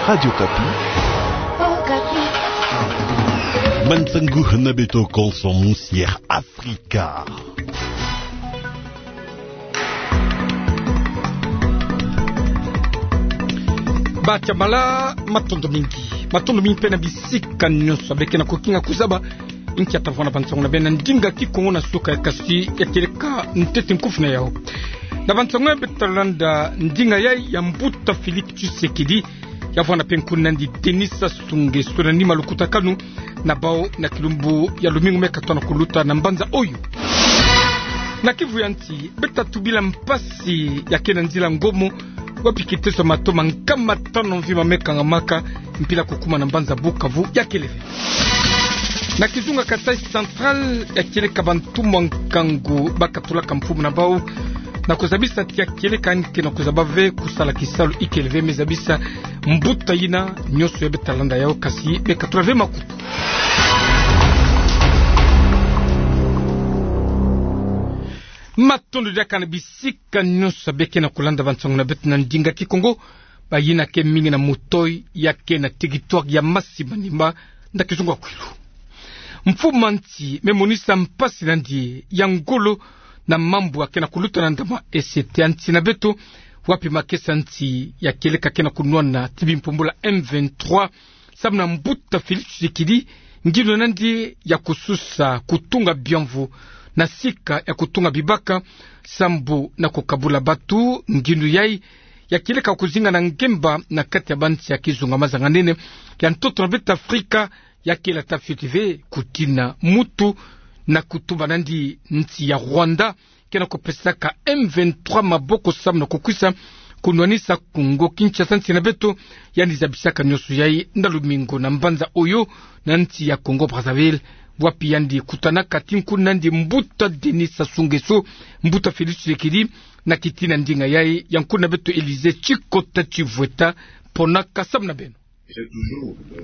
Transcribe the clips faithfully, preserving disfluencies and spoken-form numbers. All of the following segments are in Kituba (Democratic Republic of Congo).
Radio Okapi. Mansangu hana beto konso musi Afrika. Batiamala, matondo mingi. Matondo mingi mpe na bisika nyonso beke na kokinga kuzaba inkia tavona bansangu na beno na ndinga kikongo na suka ya kasi ya kieleka ntete nkufi na yau. Na bansangu ya beto talanda ndinga yai ya mbuta Félix Tshisekedi, ya vwanda mpe nkundi nandi Denis Sassou Nguesso na nima lukutakanu na bau na kilumbu ya lumingu meka tona kuluta na mbanza oyo. Na Kivu ya nsi, beta tubila mpasi ya ke na nzila Ngomo, wapi kiteso mato ma nkama tano mvimba meka ngamaka mpila kukuma na mbanza Bukavu ya kele ve. Na kizunga Kasaï Central, ya kieleka bantu mwa nkangu bakatulaka mfumu na bau na kuzabisa ti ya kieleka yandi ke na kuzaba ve kusala kisalu ikele ve, me zabisa mbuta yina nyonso ya beta landa yau kasi bekatula ve makutu. Matondo diaka na bisika nyonso beke na kulanda bansangu na beto na ndinga kikongo, bayina ke mingi na mutoyi ya ke na territoire ya Masi-Manima, na kizunga kwilu. Mfumu a nsi me monisa mpasi nandi ya ngolo na mambu ya ke na kuluta na ndama ese ya nsi na beto, wapi makesa nsi ya kieleka ke na kunwana ti bimpumbulu ya M vingt-trois, samu na mbuta Félix Tshisekedi, ngindu nandi ya kususa kutunga biamvu na sika ya kutunga bibaka, sambu na kukabula batu. Ngindu yai ya kieleka kuzinga na ngemba na kati ya bansi ya kizunga mazanganene ya ntoto na beto Afrika, ya kele ata fioti ve kutina mutu na kutuba nandi nsi ya Rwanda ke na kupesaka M vingt-trois maboko samu na kukwisa kunwanisa Kongo Kinshasa, nsi na beto, yandi zabisaka nyonso yai na lumingu na mbanza oyo na nsi ya Congo Brazzaville, wapi yandi kutanaka ti nkundi nandi mbuta Denis Sassou Nguesso, mbuta Félix Tshisekedi, na kitina ndinga yai ya nkundi na beto Élysée Tshikota Tshivweta. Ponaka samu na beno.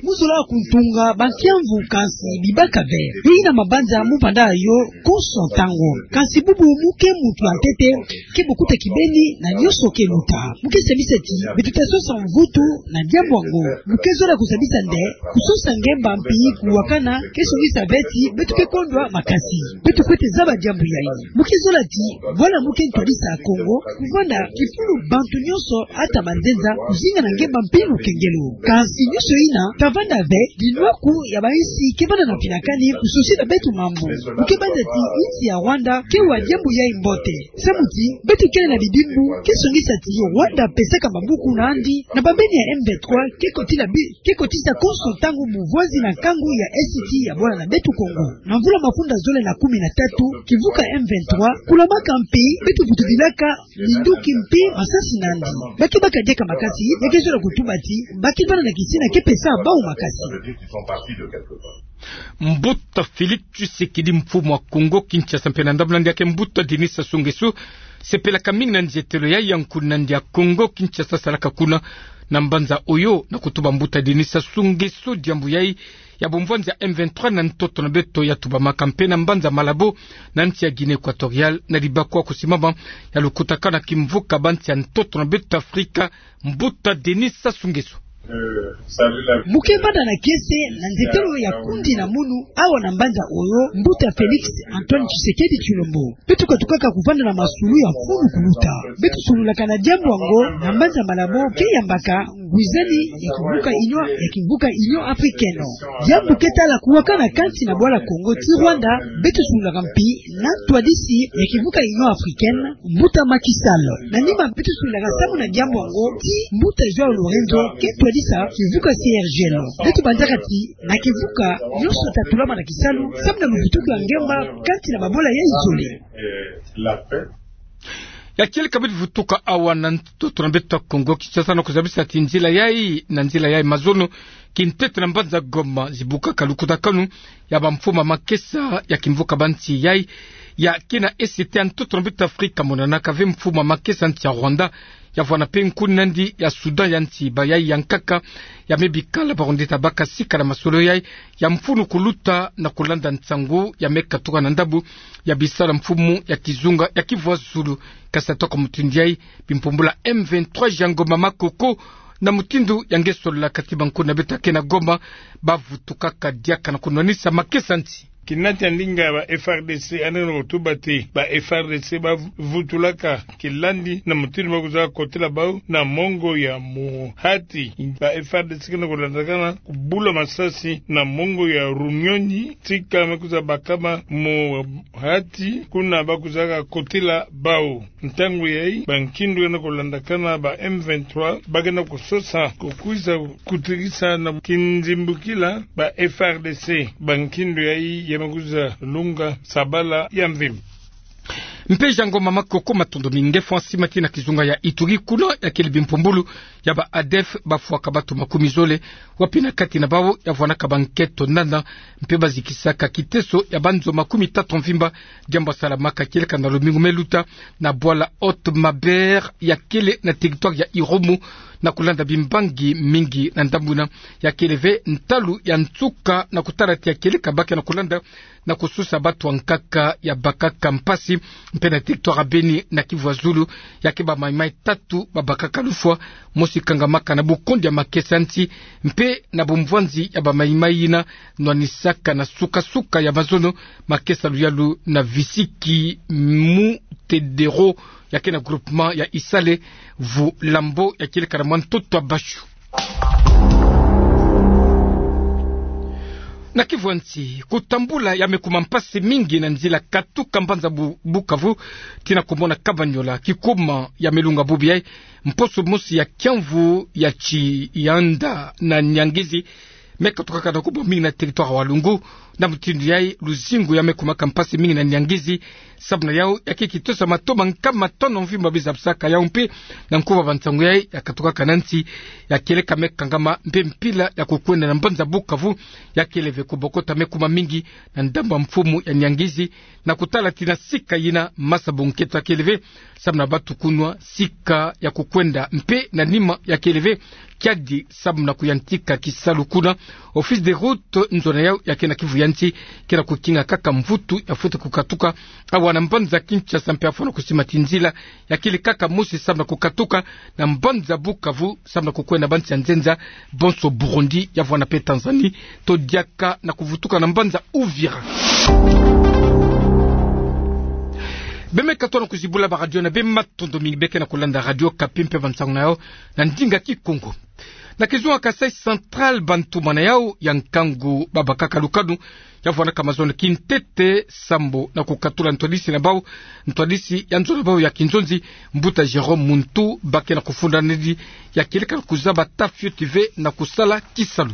Mu zola kuntunga bankiamvu kansi bibaka ve. Yo yina mabanza mu vanda yo konso ntangu. Kansi bubu mu ke muntu ya ntete, ke bukuta kibeni na nyonso ke luta. Mu ke semisa ti beto ta sosa mvutu na diambu yango. Mu ke zola kuzabisa nde kusosa ngemba mpi kuwakana ke songisa ve ti beto ke kondwa makasi. Beto kwete zaba diambu yai. Mu ke zola ti bwala mu ke ntwadisa Kongo kuvanda kifulu bantu nyonso, ata banzenza, kuzinga na ngemba mpi lukengelo. Kansi nyonso yina ta vanda ve dinwaku ya bayinsi ke vanda na mpinakani kusosila beto mambu. Mu ke banza ti insi ya Rwanda ke wa diambu yai mbote, samu ti beto kele na bidimbu ke songisa ti Rwanda pesaka mabuku nandi na bambeni ya M vingt-trois ke kotila bi- ke kotisa konso ntangu muvwazi na nkangu ya Est ya bwala na beto Kongo. Na mvula mafunda zole na kumi na tatu, kivuka M vingt-trois kulamaka mpi, beto vutubilaka minduki mpi masasi nandi. Ba ke baka diaka makasi, ya ke zola kutuba ti ba ke vanda na kisina ke pesa bau makasi. Mbuta Félix Tshisekedi, mfumu wa Kongo Kinshasa, mpe na ndambu nandi ya ke mbuta Denis Sassou Nguesso, sepelaka mingi na nzietelo yai ya nkundi nandi ya Kongo Kinshasa salaka kuna na mbanza oyo, na kutuba mbuta Denis Sassou Nguesso diambu yai ya bumvwanzi ya M vingt-trois na ntoto na beto, ya tubamaka mpe na mbanza Malabo na nsi ya Guinée Équatoriale, na libaku ya kusimama ya lukutakanu ya kimvuka bansi ya ntoto na beto Afrika, mbuta Denis Sassou Nguesso. Mu ke vanda na kiese na nzietelo ya kundi na munu awa na mbanza oyo, mbuta Félix Antoine Tshisekedi Tshilombo. Beto katukaka kuvanda na masulu ya mfunu kuluta. Beto sololaka na diambu yango na mbanza Malabo ke yambaka ngwizani ya kimvuka Union, ya kimvuka Union Africaine. Diambu ke tala kuwakana kansi na bwala Kongo ti Rwanda, beto sololaka mpi na ntwadisi ya kimvuka Union Africaine, mbuta Macky Sall. Na nima beto sololaka samu na diambu yango ti mbuta João Lourenço ke ntwadisi ya kimvuka C R G L. Beto banzaka ti na kimvuka nyonso ta tulama na kisalu samu na luvutuku ya ngemba kansi na babola yai zole. Ya kieleka beto vutuka awa na ntoto na beto Kongo Kinshasa na kuzabisa ti nzila yai, na nzila yai mazono, kintete na mbanza Goma, zibukaka lukutakanu ya bamfumu makesa ya kimvuka bansi yai ya ke na Est ya ntoto na beto Afrika. Monanaka ve mfumu makesa nsi ya Rwanda, ya vwanda mpe nkundi nandi ya Soudan ya nsi, bayai ya nkaka ya me bikala Barundi ta baka sika na masolo yai ya mfunu kuluta na kulanda nsangu ya me katuka na ndambu ya bisalu ya mfumu ya kizunga ya Kivu ya Zulu. Kasi ata kwa mutindu yai, bimpumbulu ya M vingt-trois ya Goma Makoko Na mutindu ya nge solola kati bankundu na beto ya ke na Goma, bavutukaka diaka na kunwanisa makesa nti. Kinati ya ndinga ba F A R D C, yandi na kotuba ti ba F A R D C bavutulaka kilandi na mutindu bakwiza kotila bau na mongo ya Muhati. Ba F A R D C ke na kolandakana kubula masasi na mongo ya Runyonyi, tika me kwiza bakama Muhati, kuna bakwizaka kotila bau. Ntangu yayi, bankindu ke na kolandakana ba M vingt-trois, ba ke na kusosa kukwiza kutikisa na kinzimbukila ba F A R D C. Bankindu yayi ya me kwiza lunga sabala ya mvimba. Mpe Jean Ngoma Makoko, matondo mingi. Nge fwa nsi mati na kizunga ya Ituri, kuna ya kele bimpumbulu ya ba ADF bafwaka bato makumi zole, wapi na kati na bau ya vwanaka ba nkento nana, mpe bazikisaka kiteso ya banzo makumi tatu mvimba. Diambu yasalamaka kieleka na lumingu me luta na bwala Haute Maubert ya kele na territoire ya Irumu, na kulanda bimbangi mingi na ndambu yina. Ya kele ve ntalu ya nsuka na kutala ti ya kieleka ba ke na kulanda na kususa bato ya nkaka ya bakaka mpasi. Mpe na territoire ya Beni na Kivu ya Zulu, ya ke ba Mai-Mai tatu babakaka lufwa, mosi kangamaka na bukondi ya makesa nti, mpe na bumvwanzi ya ba Mai-Mai yina nwanisaka na suka-suka ya mazono makesa luyalu na Visiki Mutedero, ya ke na groupement ya Isale, vulambo ya kieleka na mwa ntoto ya Bashu. Na Kivu ya Nsi, kutambula ya me kuma mpasi mingi na nzila katuka mbanza Bu-, Bukavu tii na komona Kamanyola, kikuma ya me lunga bubu yayi, mposo mosi ya kiamvu ya Tsi-, Yanda na Niangezi, me katukaka na kubwa mingi na territoire ya Walungu. Na mutindu yayi, luzingu ya me kumaka mpasi mingi na Niangezi, sababu na yau ya ke kitosa mato ma nkama tono mvimba bizabisaka yau. Mpe na nkuba bansangu yayi ya katukaka na nsi, ya kieleka me kangama, mpe mpila ya kukwenda na mbanza Bukavu ya kele ve kubokota me kuma mingi na ndambu ya mfumu ya Niangezi, na kutala tii na sika yina masa bo nkento ya kele ve, sababu na bato kunwa sika ya kukwenda, mpe na nima ya kele ve kiadi sababu na kuyantika kisalu kuna. Office des routes, nzona yau ya ke na Kivu ya Nsi, ke na kukinga kaka mvutu ya fweti kukatuka awa na mbanza Kinshasa, mpe ya fwana kusima tii nzila ya kele kaka mosi sababu na kukatuka na mbanza Bukavu sababu na kukwenda bansi ya nzenza, bonso Burundi, ya vwana mpe Tanzanie, to diaka na kuvutuka na mbanza Uvira. Beno me katuka na kuzibula ba radio na beno, matondo mingi. Beno ke na kulanda Radio Okapi, mpe bansangu na yau na ndinga Kikongo. Na kizunga Kasaï Central, bantumana yau ya nkangu babakaka lukanu ya vwanaka mazono kintete sambu na kukatula ntwadisi na bau, ntwadisi ya nzo na bau ya kinzonzi, mbuta Jérôme Muntu, ba ke na kufunda nedi ya kieleka kuzaba ata fioti ve na kusala kisalu.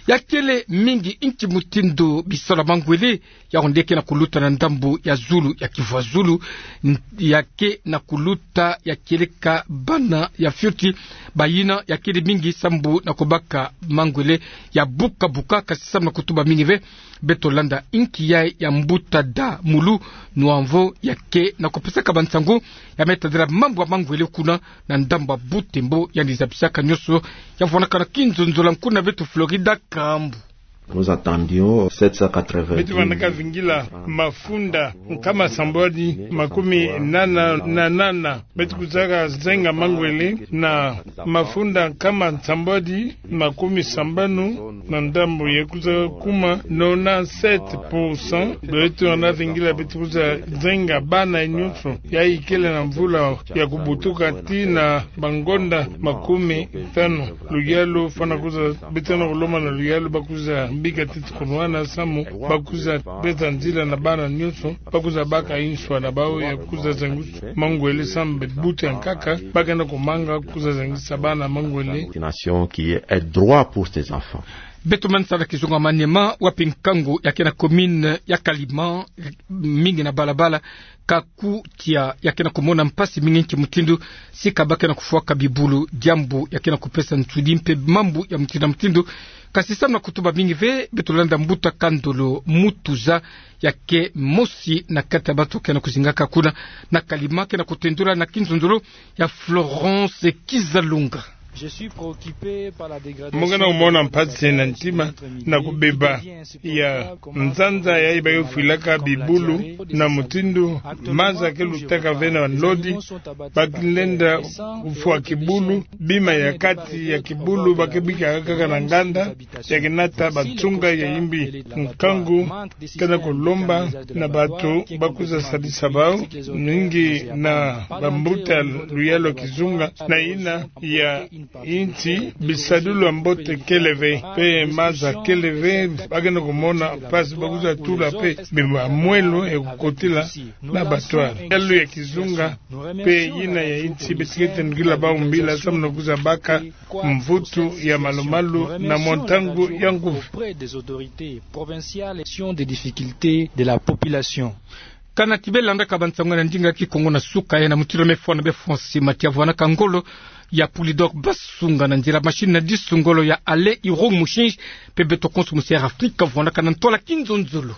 Ya kele mingi nki mutindu bisalu ya mangwele yau nde ke na kuluta na ndambu ya zulu ya Kivu ya Zulu, n-, ya ke na kuluta ya kieleka bana ya fioti, bayina ya kele mingi sambu na kubaka mangwele ya buka-buka, kasi sababu na kutuba mingi ve. Beto landa inki yayi ya mbuta Da Mulu Nwamvo, ya ke na kupesaka bansangu ya me tadila mambu ya mangwele kuna na ndambu ya Butembo, yandi zabisaka nyonso. Ya vwanaka na kinzonzolo ya nkuna beto Florida Kambu. Nous attendions sept cent quatre-vingt-dix. Beto vandaka vingila mafunda nkama sambwadi makumi nana na nana. Beto kuzaka zenga mangwele na mafunda nkama sambwadi makumi sambanu na ndambu ye kwiza kuma nonante-sept pour cent. Beto vanda vingila beto kwiza zenga bana nyonso ya ikele na mvula ya kubutuka tii na bangonda makumi tanu. Luyalu fwana kwiza, beto na kulomba na luyalu ba kwiza bika tii kunwana samu ba kwiza besa nzila na bana nyonso, ba kwiza baka inswa na bau ya kwiza zangisa mangwele samu butu ya nkaka ba ke na kumanga kwiza zangisa bana mangwele. Vaccination qui est un droit pour ces enfants. Beto manisa na kizunga Maniema, wapi nkangu ya ke na commune ya Kalima, mingi na balabala, kakutia, ya ke na kumona mpasi mingi nki mutindu sika ba ke na kufwaka bibulu, diambu ya ke na kupesa nsudi mpe mambu ya mutindu na mutindu. Kasi samu na kutuba mingi ve, beto landa mbuta Kandolo Mutuza, ya ke mosi na kati ya bato ke na kuzingaka kuna na Kalima, ke na kutendula na kinzonzolo ya Florence Kizalunga. Mo ngana kumona mpasi na ntima na kubeba ya nzanza yayi bakefwilaka bibulu, na mutindu maza kelutaka ve na nlodi, bakelenda kufwa kibulu, bima ya kati ya kibulu bakebikaka kaka na nganda, ya kenata bansunga ya imbi. Nkangu kena kulomba na bato bakwiza sadisa bau, mingi na bambuta luyalu ya kizunga, na yina ya insi bisadulu ya mbote kele ve, mpe maza kele ve, bakena kumona mpasi bakwiza tula mpe bima mwelo ya kukotila na bato ya luyalu ya kizunga, mpe yina ya insi beto kete nukila bau mbila samu na kwiza baka mvutu ya malumalu na mwa ntangu ya nguvu. Auprès des autorités provinciales, sur les difficultés de la population. Kana ti belandaka bansango na ndinga ya Kikongo na suka, ya na mutindu mefwana be Français, Matia vwanaka ngolo ya Polydor Basunga na nzila machine na disu ngolo ya Alain Iro Mushinji, mpe beto konso musi Air Afrique vwanaka na ntwala kinzonzolo.